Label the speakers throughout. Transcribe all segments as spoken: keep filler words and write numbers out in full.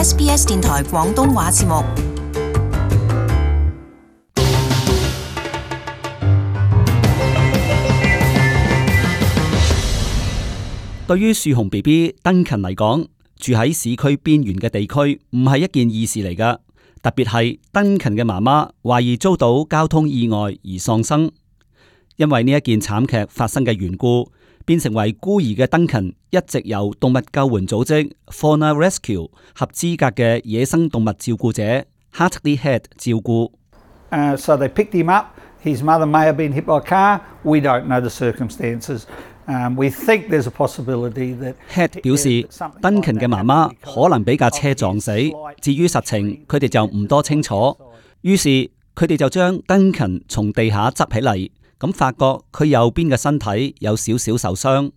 Speaker 1: S B S 電台廣東話節目。
Speaker 2: 對於樹熊 B B 登勤嚟講，住喺市區邊緣嘅地區唔係一件易事嚟㗎，特別係登勤嘅媽媽懷疑遭到交通意外而喪生，因為呢一件慘劇發生嘅緣故，變成為孤兒嘅登勤一直由動物救援組織 Fauna Rescue 合資格嘅野生動物照顧者 Hartley Head 照顧。
Speaker 3: Uh, so they picked him up. His mother may have been hit by a car. We don't know the circumstances. Um, we think there's a possibility that
Speaker 2: Head 表示，登勤嘅媽媽可能俾架車撞死。至於實情，佢哋就唔多清楚。於是佢哋就將登勤從地下執起嚟，咁發覺佢右邊嘅身體有少少受傷。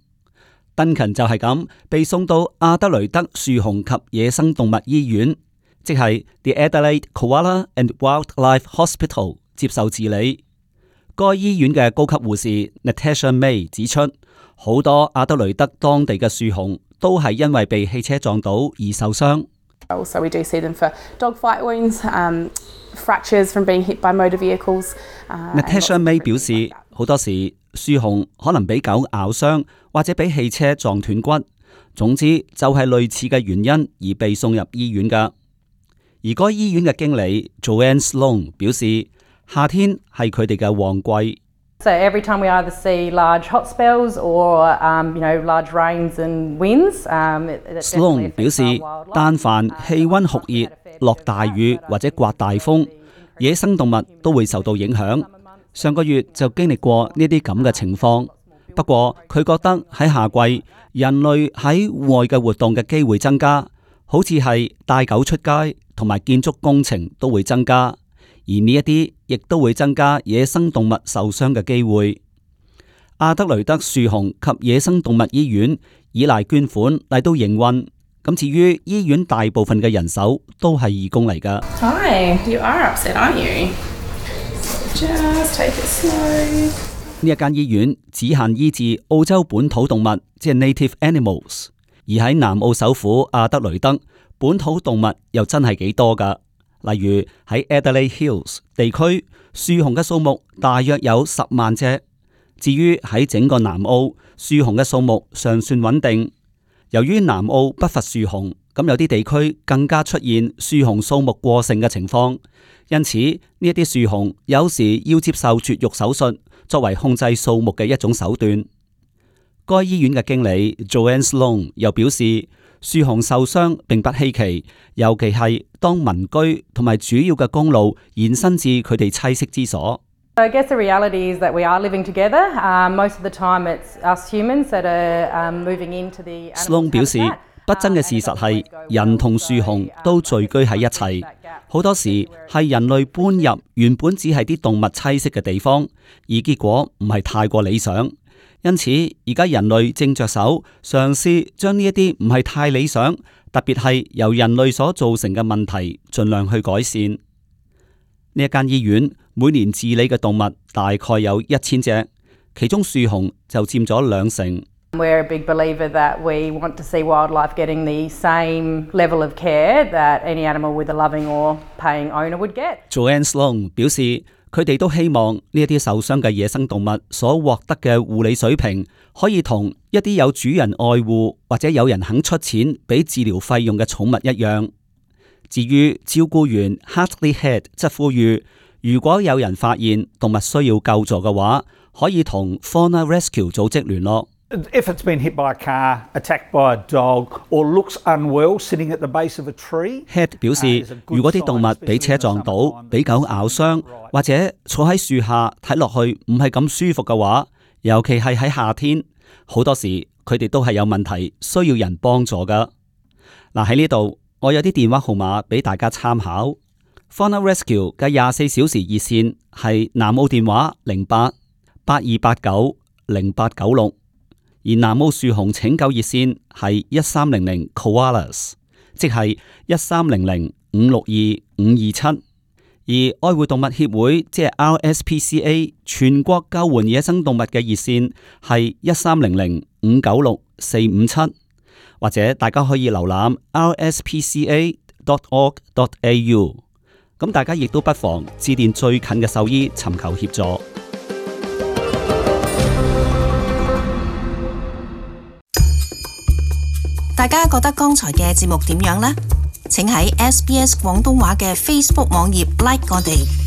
Speaker 2: 登勤就係咁被送到阿德雷德樹熊及野生動物醫院，即係 The Adelaide Koala and Wildlife Hospital 接受治理。該醫院嘅高級護士 Natasha May 指出，好多阿德雷德當地嘅樹熊都係因為被汽車撞到而受傷。
Speaker 4: So we do see them for dog fight wounds, um, fractures from being hit by motor vehicles.
Speaker 2: Natasha May 表示，好多時樹熊可能俾狗咬傷，或者俾汽車撞斷骨。總之就係類似嘅原因而被送入醫院㗎。而該醫院嘅經理 Joanne Sloan 表示，夏天係佢哋嘅旺季。
Speaker 5: So every time we either see large hot spells or, um, you know, large rains and winds, um,
Speaker 2: Sloan 表示，但凡氣溫酷熱、落大雨或者颳大風，野生動物都會受到影響。上個月就經歷過呢啲咁嘅情況。不過佢覺得喺夏季，人類喺戶外嘅活動嘅機會增加，好似係帶狗出街同埋建築工程都會增加。而呢一啲亦都會增加野生動物受傷嘅機會。阿德雷德樹熊及野生動物醫院依賴捐款嚟到營運，咁至於醫院大部分嘅人手都係義工嚟㗎。
Speaker 4: Hi, you are upset, aren't you? Just take it slow.
Speaker 2: 呢一間醫院只限醫治澳洲本土動物，即係 native animals， 而喺南澳首府阿德雷德，本土動物又真係幾多㗎。例如喺 Adelaide Hills 地區，樹熊嘅數目大約有十萬隻。至於喺整個南澳，樹熊嘅數目尚算穩定。由於南澳不乏樹熊，咁有啲地區更加出現樹熊數目過剩嘅情況。因此呢一啲樹熊有時要接受絕育手術，作為控制數目嘅一種手段。該醫院嘅經理 Joanne Sloan 又表示，樹熊受傷並不稀奇，尤其係當民居同埋主要嘅公路延伸至佢哋棲息之所。
Speaker 5: I guess the reality is that we are living together. Um, most of the time it's us humans that are um, moving into the
Speaker 2: Sloan 表示，不爭嘅事實係人同樹熊都聚居喺一齊，好多時係人類搬入原本只係啲動物棲息嘅地方，而結果唔係太過理想。因此，而家人類正着手嘗試將呢一啲唔係太理想，特別係由人類所造成嘅問題，盡量去改善。呢一間醫院每年治理嘅動物大概有一千隻，其中樹熊就佔咗兩成。
Speaker 5: We're a big believer that we want to see wildlife getting the same level of care that any animal with a loving or paying owner would get.
Speaker 2: Joanne Sloan 表示，佢哋都希望呢一啲受傷嘅野生動物所獲得嘅護理水平，可以同一啲有主人愛護或者有人肯出錢俾治療費用嘅寵物一樣。至於照顧員 Hartley Head 則呼籲，如果有人發現動物需要救助嘅話，可以同 Fauna Rescue 組織聯絡。
Speaker 3: If it's been hit by a car, attacked by a dog, or looks unwell sitting at the base of a tree,
Speaker 2: Head 表示，如果啲動物俾車撞到、俾狗咬傷，或者坐喺樹下睇落去唔係咁舒服嘅話，尤其係喺夏天，好多時佢哋都係有問題，需要人幫助噶。嗱，喺呢度，我有啲電話號碼俾大家參考。Fauna Rescue 嘅廿四小時熱線係南澳電話零八八二八九零八九六。而南澳樹熊拯救熱線係一三零零 Koalas， 即係一三零零五六二五二七。而愛護動物協會即係 R S P C A 全國救援野生動物嘅熱線係一三零零五九六四五七，或者大家可以瀏覽 r s p c a dot org dot a u。咁大家亦都不妨致電最近嘅獸醫尋求協助。
Speaker 1: 大家覺得剛才嘅節目點樣呢？請喺 S B S 廣東話嘅 Facebook 網頁 like 我哋。